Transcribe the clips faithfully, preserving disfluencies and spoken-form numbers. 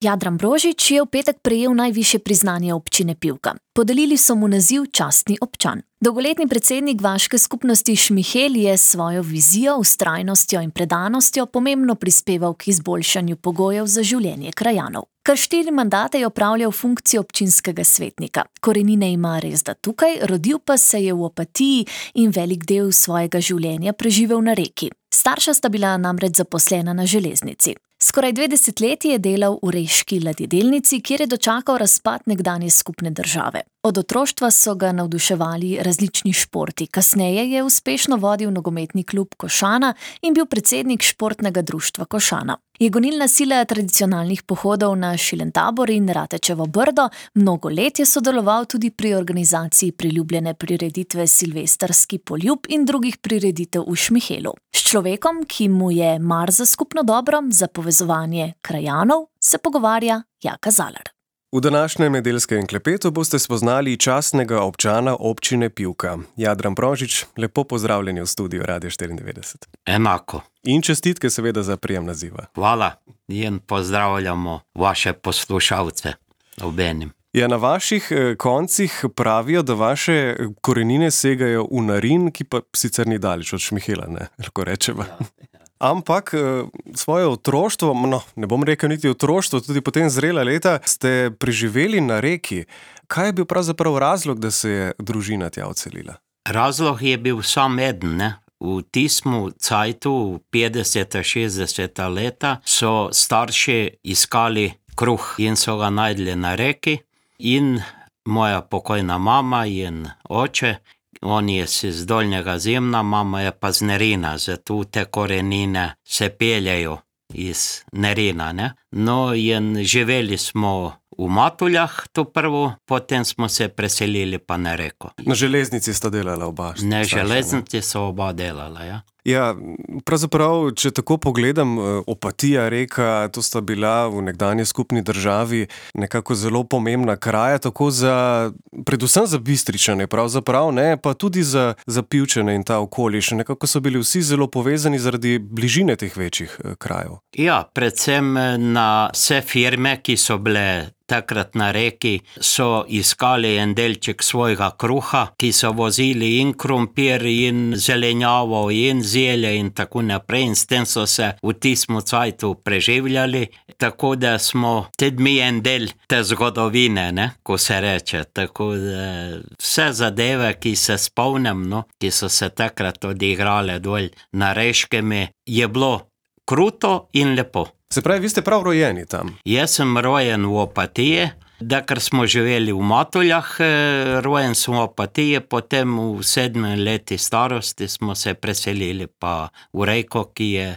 Jadran Brožič je v petek prejel najvišje priznanje občine Pivka. Podelili so mu naziv častni občan. Dolgoletni predsednik vaške skupnosti Šmihel je s svojo vizijo, vztrajnostjo in predanostjo pomembno prispeval k izboljšanju pogojev za življenje krajanov. Kar štiri mandate je opravljal funkcijo občinskega svetnika. Korenine ima resda tukaj, rodil pa se je v Opatiji in velik del svojega življenja preživel na Reki. Starša sta bila namreč zaposlena na železnici. Skoraj dve desetletji je delal v reški ladjedelnici, kjer je dočakal razpad nekdanje skupne države. Od otroštva so ga navduševali različni športi. Kasneje je uspešno vodil nogometni klub Košana in bil predsednik športnega društva Košana. Je gonilna sila tradicionalnih pohodov na Šilentabor in Ratečevo Brdo, mnogo let je sodeloval tudi pri organizaciji priljubljene prireditve Silvestrski poljub in drugih prireditev v Šmihelu. S človekom, ki mu je mar za skupno dobro, za povezovanje krajanov, se pogovarja Jaka Zalar. V današnjem nedeljskem klepetu boste spoznali častnega občana občine Pivka. Jadran Brožič, lepo pozdravljeni v studiu Radio štiriindevetdeset. Enako. In čestitke seveda za prijem naziva. Hvala in pozdravljamo vaše poslušalce obenem. Ja, na vaših koncih pravijo, da vaše korenine segajo v Narin, ki pa sicer ni daleč od Šmihela, ne, lahko rečeva. Ja. Ampak svoje otroštvo, no, ne bom rekel niti otroštvo, tudi potem zrela leta, ste preživeli na Reki. Kaj je bil pravzaprav razlog, da se je družina tja odselila? Razlog je bil sam eden, ne. V tistem cajtu, v petdeseta, šestdeseta leta, so starši iskali kruh in so ga najdli na Reki in moja pokojna mama in oče, on je iz Dolnjega Zemlja, mama je pa z Nerina, zato te korenine se peljajo iz Nerina, ne. No, in živeli smo v Matuljah to prvo, potem smo se preselili pa na Reko. Na železnici sta delala oba? Na železnici so oba delala, ja. Ja, pravzaprav, če tako pogledam, Opatija, Reka, to sta bila v nekdanji skupni državi nekako zelo pomembna kraja, tako za, predvsem za Bistričane, pravzaprav, ne, pa tudi za, za Pivčane in ta okoliš. Nekako so bili vsi zelo povezani zaradi bližine teh večjih krajev. Ja, predvsem na vse firme, ki so bile takrat na Reki, so iskali en delček svojega kruha, ki so vozili in krompir, in zelenjavo, in zelje in tako naprej. In s tem so se v tistem cajtu preživljali, tako da smo tudi mi en del te zgodovine, ne, ko se reče. Tako da vse zadeve, ki se spomnim, no, ki so se takrat odigrale dol na Reškemi, je bilo kruto in lepo. Se pravi, vi ste prav rojeni tam? Jaz sem rojen v Opatiji, da ker smo živeli v Matuljah, rojen sem v Opatiji, potem v sedmem leti starosti smo se preselili pa v Reko, ki je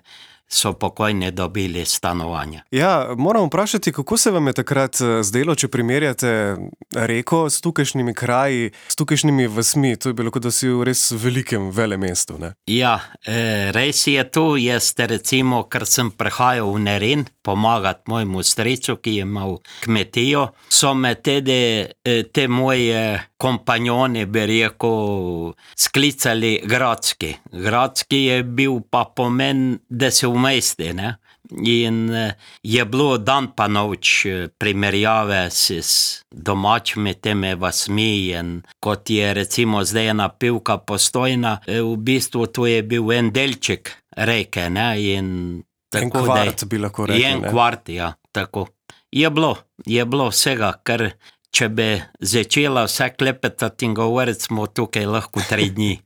so pokojni dobili stanovanje. Ja, moram vprašati, kako se vam je takrat zdelo, če primerjate Reko s tukajšnjimi kraji, s tukajšnjimi vasmi? To je bilo, kot da si v res velikem velemestu, ne? Ja, res je to. Jaz recimo, ker sem prihajal v Nerin pomagati mojemu stricu, ki je imel kmetijo, so me tudi te moje kompanjoni, bi rekel, sklicali Gradski. Gradski je bil pa pomen, da se v mesti, ne. In je bilo dan pa noč primerjave s domačimi temi vasmi in kot je recimo zdaj ena Pivka Postojna, v bistvu to je bil en delček Reke, ne, in en kvart bi lahko rekli, en kvart, ja, tako. Je bilo, je bilo vsega, ker če bi začela vse klepetati in govoriti, smo tukaj lahko tri dni.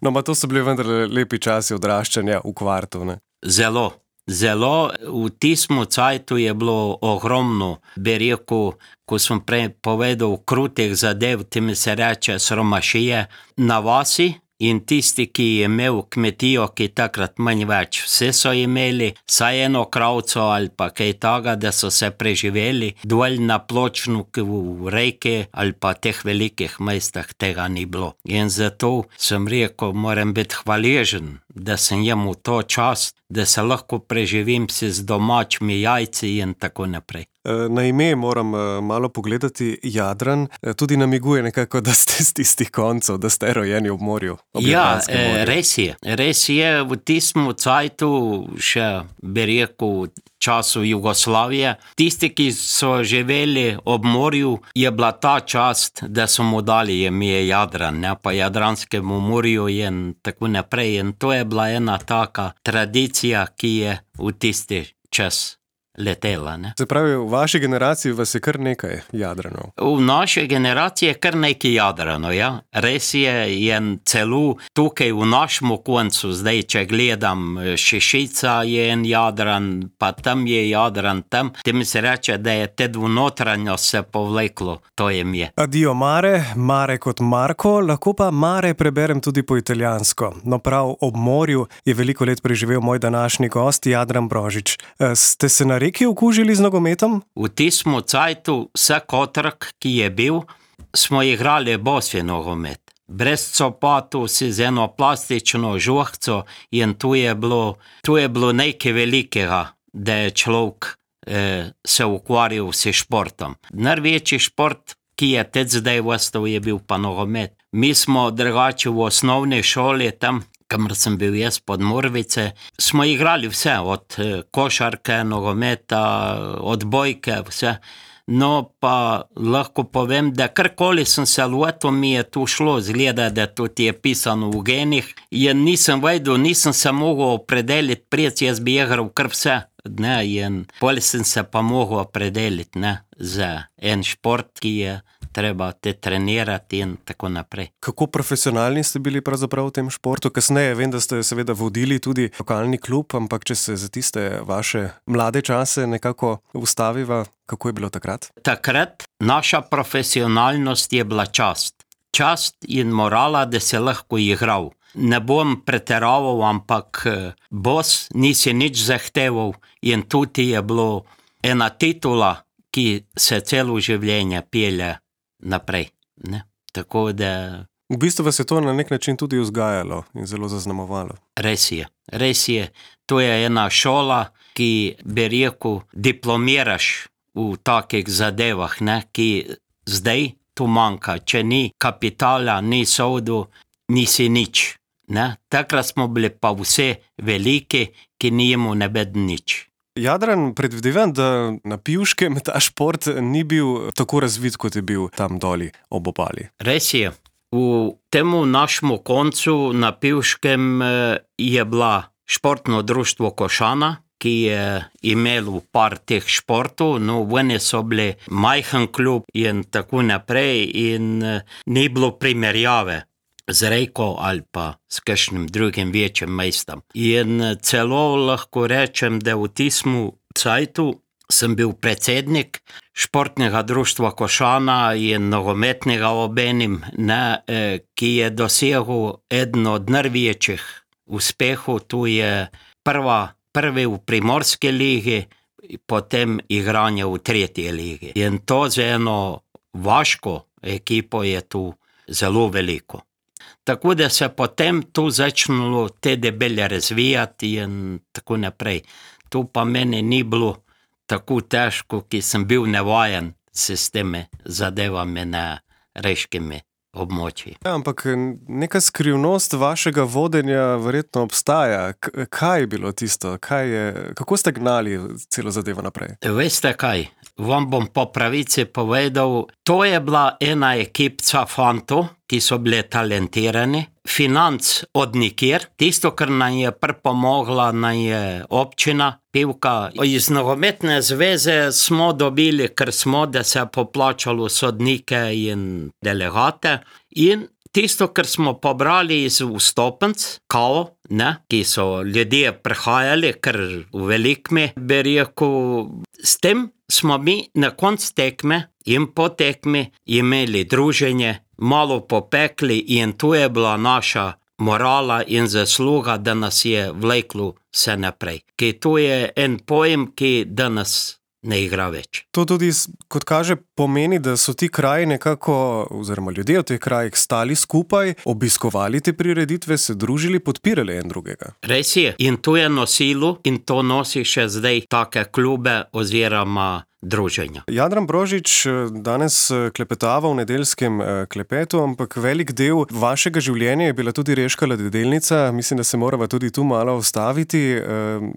No, ma to so bili vendar lepi časi odraščanja v kvartu, ne? Zelo, zelo. V tistem cajtu je bilo ogromno, bi rekel, ko sem prej povedal, krutih zadev, temi se reče sromašije na vasi. In tisti, ki je imel kmetijo, ki takrat manj več, vse so imeli, saj eno kravco ali pa kaj taga, da so se preživeli, dol na Pločnu, v Reki ali pa teh velikih mestah tega ni bilo. In zato sem rekel, moram biti hvaležen, da sem imel to čast, da se lahko preživim si z domačimi jajci in tako naprej. Na ime moram malo pogledati, Jadran tudi namiguje nekako, da ste z tistih koncev, da ste rojeni ob morju. Ob ja, res je. Res je, v tistem cajtu, še bi rekel, času Jugoslavije. Tisti, ki so živeli ob morju, je bila ta čast, da so mu dali ime Jadran, ne, pa Jadranskemu morju in tako naprej. In to je bila ena taka tradicija, ki je v tisti čas letela. Ne. Se pravi, v vaši generaciji vas je kar nekaj Jadranov. V naši generaciji je kar nekaj Jadranov, ja. Res je, je celo tukaj v našem koncu, zdaj, če gledam, Šešica je en Jadran, pa tam je Jadran, tam. Tem se reče, da je te dvonotranjo se povleklo, to je mi. Adio mare, mare kot Marko, lahko pa mare preberem tudi po italijansko. No prav ob morju je veliko let preživel moj današnji gost, Jadran Brožič. Ste se na reki okužili z nogometom? V tistem cajtu vsak otrok, ki je bil, smo igrali bosi nogomet. Brez copatu si z eno plastično žohco in tu je bilo, tu je bilo nekaj velikega, da je človek eh, se ukvarjal s športom. Največji šport, ki je teď zdaj ostal, je bil pa nogomet. Mi smo drugače v osnovni šoli tam, kamor sem bil jaz pod Morvice, smo igrali vse, od košarke, nogometa, odbojke, vse. No, pa lahko povem, da karkoli sem se lotil, mi je tu šlo, zgleda, da tudi je pisano v genih. In nisem vedel, nisem se mogel opredeliti, pred jaz bi igral kar vse. Ne, in bolj sem se pa mogel opredeliti, ne, za en šport, ki je treba te trenirati in tako naprej. Kako profesionalni ste bili pravzaprav v tem športu? Kasneje vem, da ste seveda vodili tudi lokalni klub, ampak če se za tiste vaše mlade čase nekako ustaviva, kako je bilo takrat? Takrat naša profesionalnost je bila čast. Čast in morala, da se lahko igral. Ne bom preteraval, ampak bos nisi nič zahteval in tudi je bilo ena titula, ki se celo življenje pelje naprej. Ne? Tako da... V bistvu vas je to na nek način tudi vzgajalo in zelo zaznamovalo. Res je, res je. To je ena šola, ki bi rekel, diplomiraš v takih zadevah, ne? Ki zdaj tu manjka. Če ni kapitala, ni sodu, nisi nič. Ne? Takrat smo bili pa vse veliki, ki nijemo ne bed nič. Jadran, predvidevam, da na Pivškem ta šport ni bil tako razvit, kot je bil tam doli ob obali. Res je. V temu našemu koncu na Pivškem je bila športno društvo Košana, ki je imelo par teh športov, no vene so bili majhen klub in tako naprej in ni bilo primerjave z Reko ali pa s kakšnim drugim večjim mestom. In celo lahko rečem, da v tistem cajtu sem bil predsednik športnega društva Košana in nogometnega obenim, ne, ki je dosegel eden od največjih uspehov. Tu je prva, prvi v Primorski ligi, potem igranje v tretji ligi. In to za eno vaško ekipo je tu zelo veliko. Tako da se potem tu začnilo te debelje razvijati in tako naprej. Tu pa meni ni bilo tako težko, ki sem bil navajen s temi zadevami na reškimi območji. Ja, ampak neka skrivnost vašega vodenja verjetno obstaja. K- kaj je bilo tisto? Kaj je, kako ste gnali celo zadevo naprej? Veste kaj? Vam bom po pravici povedal, to je bila ena ekipca fantov, ki so bili talentirani, financ od nikjer, tisto, kar nam je pripomogla, nam je občina Pivka. Iz nogometne zveze smo dobili, ker smo, da se je poplačalo sodnike in delegate in tisto, kar smo pobrali iz vstopenc, kao, ne, ki so ljudje prihajali, ker v velikmi, bi rekel, s tem smo mi na konc tekme in po tekmi imeli druženje, malo popekli in tu je bila naša morala in zasluga, da nas je vleklo vse naprej. Ki tu je en pojem, ki danes ne igra več. To tudi, kot kaže, pomeni, da so ti kraji nekako, oziroma ljudje v teh krajih stali skupaj, obiskovali te prireditve, se družili, podpirali en drugega. Res je. In to je nosilo in to nosi še zdaj take klube oziroma druženja. Jadran Brožič danes klepetava v nedeljskem klepetu, ampak velik del vašega življenja je bila tudi Reška ladjedelnica. Mislim, da se morava tudi tu malo ustaviti.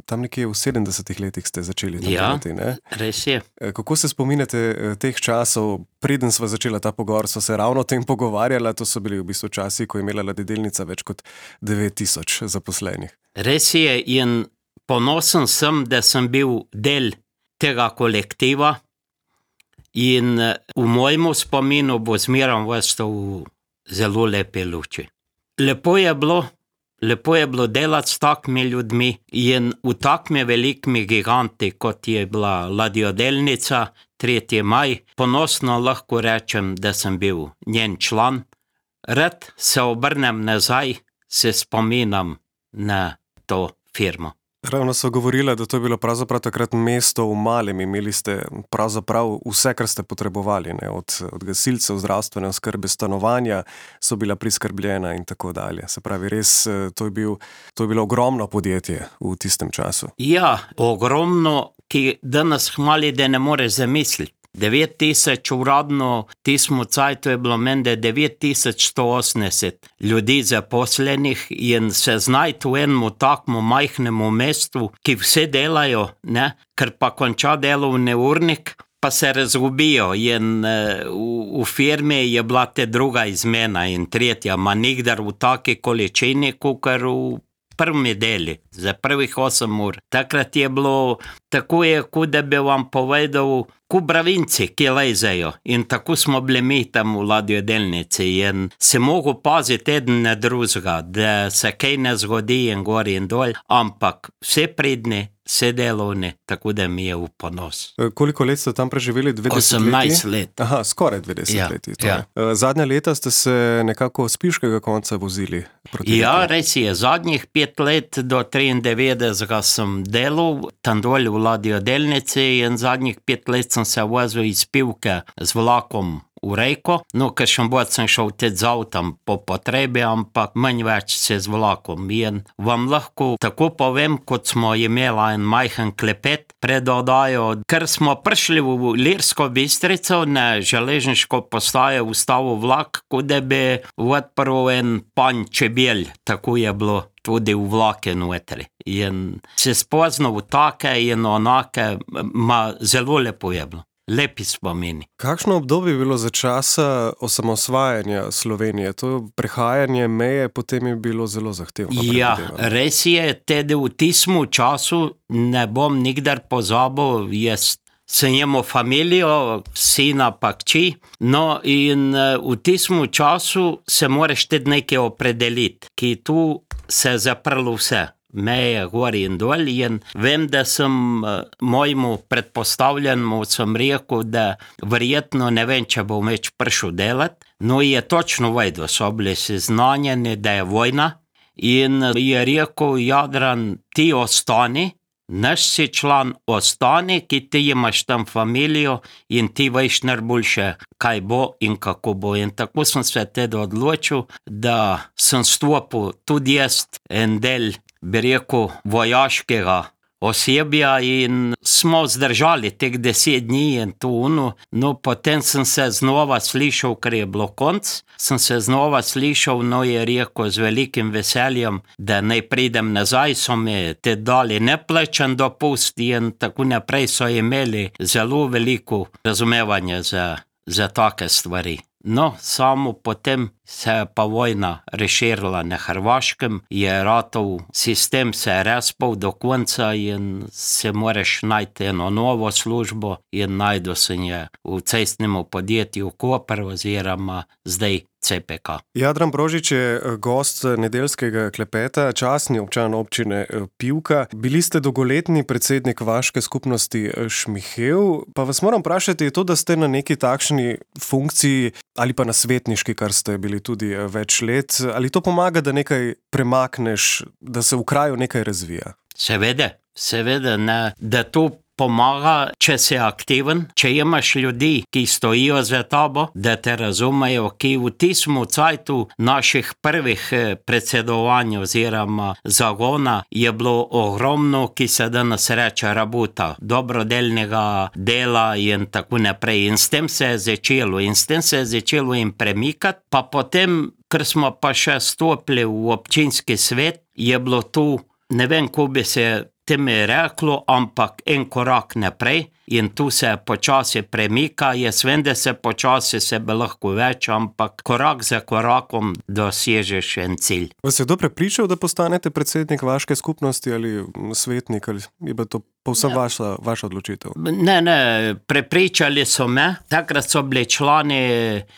Tam nekje v sedemdesetih letih ste začeli tam Ja, delati, ne? res je. Kako se spominjate teh časov? Preden sva začela ta pogovor, sva se ravno o tem pogovarjala. To so bili v bistvu časi, ko je imela ladjedelnica več kot devet tisoč zaposlenih. Res je in ponosen sem, da sem bil del tega kolektiva in v mojemu spominu bo zmerom ostal v zelo lepe luči. Lepo je bilo, lepo je bilo delati s takimi ljudmi in v takimi velikimi giganti, kot je bila ladjodelnica tretji maj, ponosno lahko rečem, da sem bil njen član. Rad se obrnem nazaj, se spominam na to firmo. Ravno so govorila, da to je bilo pravzaprav takrat mesto v malem. Imeli ste pravzaprav vse, kar ste potrebovali, ne? Od, od gasilcev, zdravstvene oskrbe, stanovanja so bila priskrbljena in tako dalje. Se pravi, res, to je, bil, to je bilo ogromno podjetje v tistem času. Ja, ogromno, ki danes hmali, da ne more zamisliti. devet tisoč uradno, tismu cajtu je bilo mende devet tisoč sto osemdeset ljudi zaposlenih in se znajti v enem takmu majhnemu mestu, ki vse delajo, ne, ker pa konča delovni urnik, pa se razgubijo in uh, v, v firmi je bila te druga izmena in tretja, ma nikdar v taki količini, kakor v prvi deli, za prvih osem ur. Takrat je bilo, tako je, kot da bi vam povedal, ko bravinci, ki lezejo. In tako smo bili mi tam v ladjodelnici in se mogo paziti eden na drugega, da se kaj ne zgodi in gor in dol, ampak vse pridni, vse delovni, tako da mi je v ponos. Koliko let ste tam preživeli? dvedeset osemnajst let. Aha, skoraj dvedeset Ja, leti. ja. Zadnja leta ste se nekako z Piškega konca vozili proti Ja, Reki. res je, zadnjih pet let do triindevetdesetega sem delal tam dol v ladjodelnici in zadnjih pet let sem se vozil iz Pivke z vlakom v Reko, no, kakšen bod sem šel tudi z avtom po potrebi, ampak manj več se z vlakom. In vam lahko tako povem, kot smo imela en majhen klepet pred oddajo, ker smo prišli v Ilirsko Bistrico na železniško postajo ustavil vlak, kot da bi odprl en panj čebel, tako je bilo tudi v vlake notri. In se spoznal v take in onake, ma zelo lepo je bilo. Lepi spomini. Kakšno obdobje je bilo za časa osamosvajanja Slovenije? To prehajanje meje potem je bilo zelo zahtevno. Ja, predvidevam. res je, tudi v tistem času ne bom nikdar pozabil, jaz sem imel familijo, sina pa kči, no in v tistem času se moraš tudi nekaj opredeliti, ki tu se zaprlo vse. Meje gor in dol in vem, da sem mojemu predpostavljenemu sem rekel, da verjetno ne vem, če bom več prišel delati, no je točno vedel, so bili seznanjeni, da je vojna in je rekel, Jadran, ti ostani, naš si član, ostani, ki ti imaš tam familijo in ti veš najboljše, kaj bo in kako bo. In tako sem se tudi odločil, da sem stopil tudi jaz en del, bi rekel, vojaškega osebja in smo zdržali teh deset dni in to uno, no potem sem se znova slišal, ker je bilo konc, sem se znova slišal, no je rekel z velikim veseljem, da naj pridem nazaj, so mi te dali neplačan dopust in tako naprej so imeli zelo veliko razumevanja za, za take stvari. No, samo potem se je pa vojna razširila na Hrvaškem, je ratov sistem se je razpal do konca in se moraš najti eno novo službo in najdu sem je v cestnemu podjetju Koper oziroma zdaj C P K. Jadran Brožič je gost nedeljskega klepeta, častni občan občine Pivka. Bili ste dolgoletni predsednik vaške skupnosti Šmihev, pa vas moram vprašati, je to, da ste na neki takšni funkciji ali pa na svetniški, kar ste bili tudi več let, ali to pomaga, da nekaj premakneš, da se v kraju nekaj razvija? Seveda, seveda, ne, da to pomaga, če si aktiven, če imaš ljudi, ki stojijo za tabo, da te razumejo, ki v tistem cajtu naših prvih predsedovanj oziroma zagona je bilo ogromno, ki se danes reče rabuta, dobrodelnega dela in tako naprej. In s tem se je začelo, in s tem se je začelo in premikati, pa potem, ker smo pa še stopili v občinski svet, je bilo tu, ne vem, ko bi se teme reklo, ampak en korak naprej in tu se počasi premika. Jaz vem, da se počasi se bi lahko več, ampak korak za korakom dosežeš en cilj. Vas je kdo prepričal, da postanete predsednik vaške skupnosti ali svetnik, ali je bilo to povsem ja. vaša, vaša odločitev? Ne, ne, prepričali so me. Takrat so bili člani,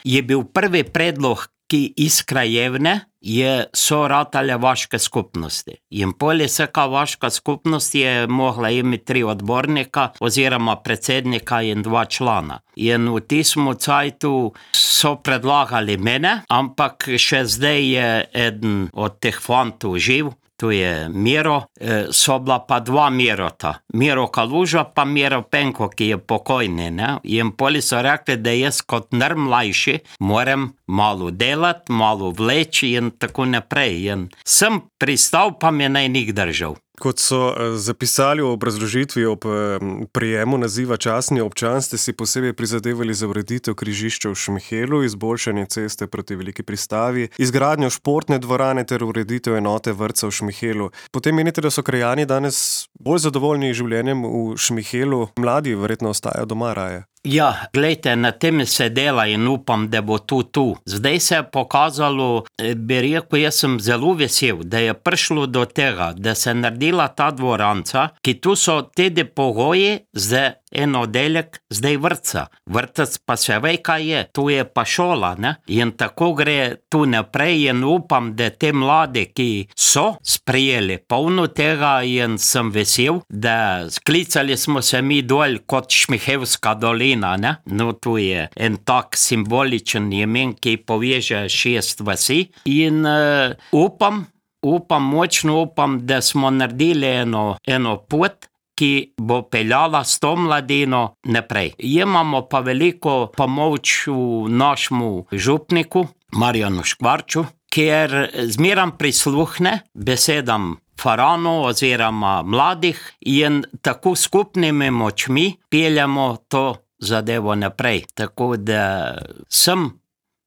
je bil prvi predlog, ki iz krajevne je so ratale vaške skupnosti. In poli vsaka vaška skupnost je mogla imeti tri odbornika oziroma predsednika in dva člana. In v tistem cajtu so predlagali mene, ampak še zdaj je eden od teh fantov živ, tu je Miro, so bila pa dva Mirota. Miro Kaluža pa Miro Penko, ki je pokojni. Ne? In poli so rekli, da jaz kot najmlajši moram malo delati, malo vleči in tako naprej. In sem pristal, pa me naj nik držal. Kot so zapisali v obrazložitvi ob prijemu naziva častni občan, ste si posebej prizadevali za ureditev križišča v Šmihelu, izboljšanje ceste proti Veliki Pristavi, izgradnjo športne dvorane ter ureditev enote vrtca v Šmihelu. Potem menite, da so krajani danes bolj zadovoljni življenjem v Šmihelu, mladi verjetno ostajajo doma raje? Ja, glejte, na tem se dela in upam, da bo tu tu. Zdaj se je pokazalo, bi rekel, jaz sem zelo vesel, da je prišlo do tega, da se naredila ta dvoranca, ki tu so tudi pogoji za en oddelek zdaj vrtca. Vrtec pa se ve, kaj je, tu je pa šola, ne? In tako gre tu naprej in upam, da te mlade, ki so sprijeli polno tega in sem vesel, da sklicali smo se mi dol kot Šmihevska dolina, ne? No, tu je en tak simboličen imen, ki poveže šest vasi in uh, upam, upam, močno upam, da smo naredili eno, eno pot, ki bo peljala s to mladino naprej. Imamo pa veliko pomoč v našemu župniku, Marjanu Škvarču, ker zmeram prisluhne besedam farano oziroma mladih in tako skupnimi močmi peljamo to zadevo naprej. Tako da sem,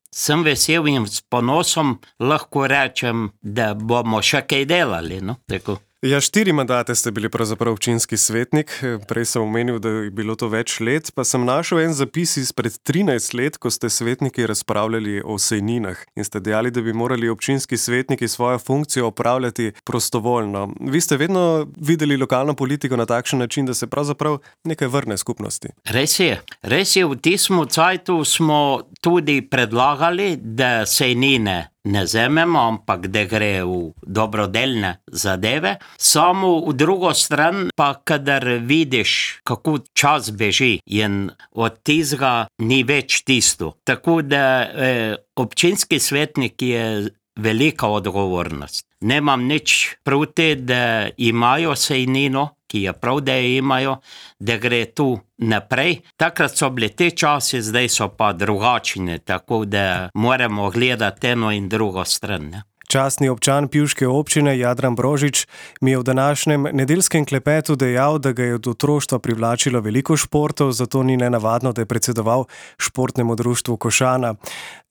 sem vesel in s ponosom lahko rečem, da bomo še kaj delali, no, tako. Ja, štiri mandate ste bili pravzaprav občinski svetnik, prej sem omenil, da je bilo to več let, pa sem našel en zapis izpred trinajst let, ko ste svetniki razpravljali o sejninah in ste dejali, da bi morali občinski svetniki svojo funkcijo opravljati prostovoljno. Vi ste vedno videli lokalno politiko na takšen način, da se pravzaprav nekaj vrne skupnosti. Res je, res je, v tistem cajtu smo tudi predlagali, da sejnine ne zememo, ampak da gre v dobrodelne zadeve. Samo v drugo stran pa, kadar vidiš, kako čas beži in od tizga ni več tisto. Tako da eh, občinski svetnik je velika odgovornost. Nemam nič proti, da imajo sejnino, ki je prav, da je imajo, da gre tu naprej. Takrat so bili te časi, zdaj so pa drugačni, tako da moramo gledati eno in drugo stran. Ne? Častni občan Pivške občine Jadran Brožič mi je v današnjem nedeljskem klepetu dejal, da ga je od otroštva privlačilo veliko športov, zato ni nenavadno, da je predsedoval športnemu društvu Košana.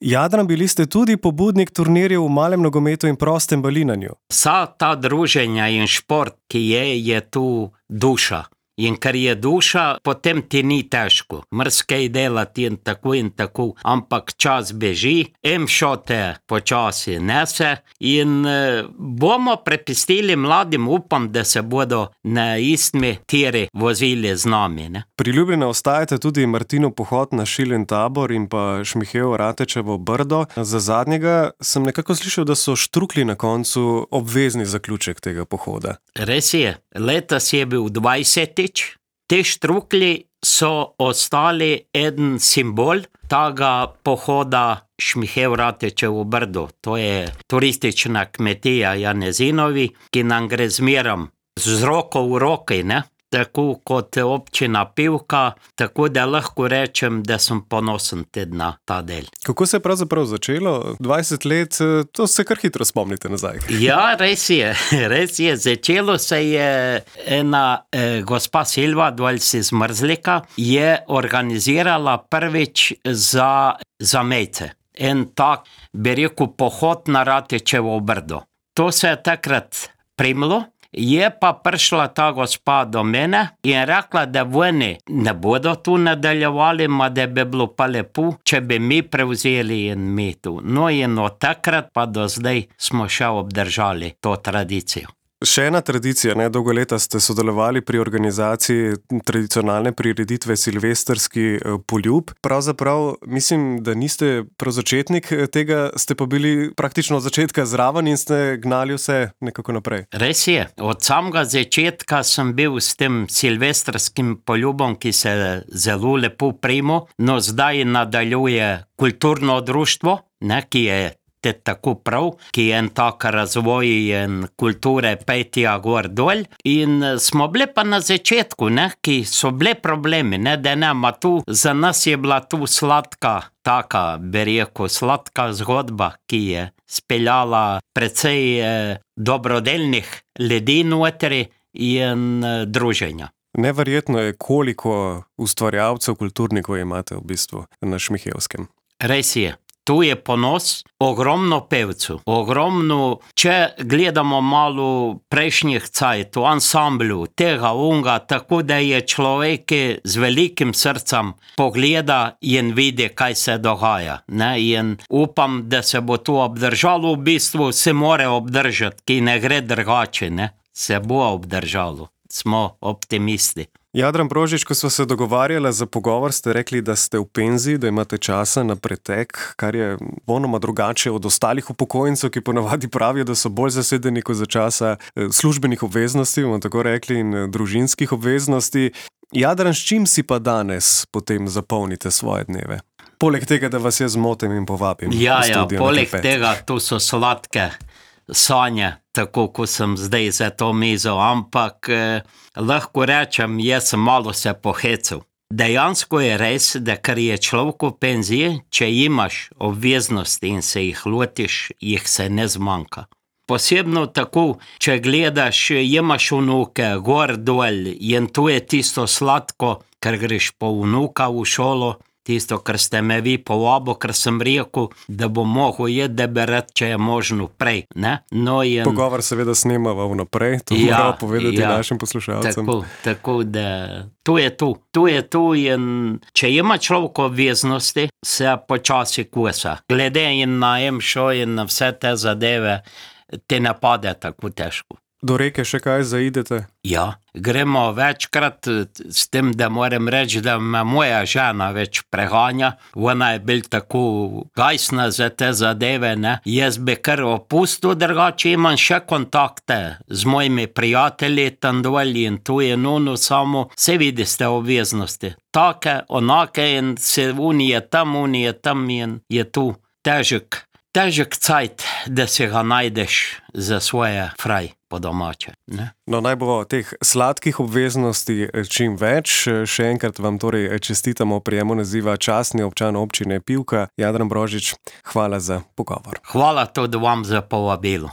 Jadran, bili ste tudi pobudnik turnirjev v malem nogometu in prostem balinanju. Vsa ta druženja in šport, ki je, je tu duša. In ker je duša, potem ti ni težko. Mrskej delati in tako in tako, ampak čas beži, em šote počasi nese in e, bomo prepustili mladim, upam, da se bodo na istmi tiri vozili z nami. Ne? Priljubljena ostajate tudi Martinov pohod na Šilin tabor in pa Šmihev Ratečevo Brdo. Za zadnjega sem nekako slišal, da so štrukli na koncu obvezni zaključek tega pohoda. Res je, letos je bil dvajsetič. Te štrukli so ostali eden simbol tega pohoda Šmihev Ratečevo Brdo. To je turistična kmetija Janezinovi, ki nam gre zmerom z roko v roki, ne? tako kot občina Pivka, tako da lahko rečem, da sem ponosen tudi na ta del. Kako se je pravzaprav začelo? dvajset let, to se kar hitro spomnite nazaj. Ja, res je, res je. Začelo se je ena eh, gospa Silva Dvoljci iz Mrzlika, je organizirala prvič za, za Mejce. En tak, bi rekel, pohod na Ratečevo brdo. To se je takrat primlo. Je pa prišla ta gospa do mene in rekla, da oni ne bodo tu nadaljevali, ma da bi bilo pa lepo, če bi mi prevzeli in mi tu. No in od takrat pa do zdaj smo še obdržali to tradicijo. Še ena tradicija, ne, dolgo leta ste sodelovali pri organizaciji tradicionalne prireditve Silvestrski poljub. Pravzaprav mislim, da niste prav začetnik tega, ste pa bili praktično od začetka zraven in ste gnali vse nekako naprej. Res je. Od samega začetka sem bil s tem silvestrskim poljubom, ki se zelo lepo primo. No, zdaj nadaljuje kulturno društvo, ne, ki je te tako prav, ki je en tak razvoj in kulture petja gor dol. In smo bili pa na začetku, ne, ki so bili problemi, ne, da nema tu. Za nas je bila tu sladka, taka, bi rekel, sladka zgodba, ki je speljala precej eh, dobrodelnih ljudi notri in eh, druženja. Neverjetno je, koliko ustvarjalcev, kulturnikov imate v bistvu na Šmihelskem. Res je. Tu je ponos, ogromno pevcev, ogromno, če gledamo malo prejšnjih cajtov, ansamblu, tega, unga, tako da je človek z velikim srcem pogleda in vidi, kaj se dogaja. Ne? In upam, da se bo to obdržalo, v bistvu se more obdržati, ki ne gre drugače, ne? Se bo obdržalo. Smo optimisti. Jadran Brožič, ko smo se dogovarjali za pogovor, ste rekli, da ste v penziji, da imate časa na pretek, kar je vonoma drugače od ostalih upokojencev, ki ponavadi pravijo, da so bolj zasedeni kot za časa službenih obveznosti, bomo tako rekli, in družinskih obveznosti. Jadran, s čim si pa danes potem zapolnite svoje dneve? Poleg tega, da vas jaz zmotim in povabim. Ja, ja, poleg tega, tu so sladke sanje, tako ko sem zdaj za to mizo, ampak eh, lahko rečem, jaz sem malo se pohecel. Dejansko je res, da kar je človek v penziji, če imaš obveznosti in se jih lotiš, jih se ne zmanjka. Posebno tako, če gledaš, imaš vnuke, gor dol, in to je tisto sladko, ker greš po vnuka v šolo, tisto, kar ste me vi povabo, ker sem rekel, da bo mogel je deberat, če je možno prej. Ne? No, in... Pogovor seveda snemava vnaprej, to ja, moram povedati ja, našim poslušalcem. Tako, tako da to je tu. Tu je tu in če ima človek obveznosti, se počasi kosa. Glede in na emšo in na vse te zadeve, te ne pade tako težko. Do reke še kaj zaidete? Ja, gremo večkrat, s tem, da moram reči, da me moja žena več prehanja. Ona je bil tako gajsna za te zadeve, ne. Jaz bi kar opustil, drugače imam še kontakte z mojimi prijatelji tam dol in tu je nuno samo, se vidi ste obveznosti. Take, onake in se uni je tam, uni je tam in je tu težek. Težek cajt, da se ga najdeš za svoje fraj po domače. Ne? No, naj bo teh sladkih obveznosti čim več. Še enkrat vam torej čestitamo prijemu naziva častni občan občine Pivka. Jadran Brožič, hvala za pogovor. Hvala tudi vam za povabilo.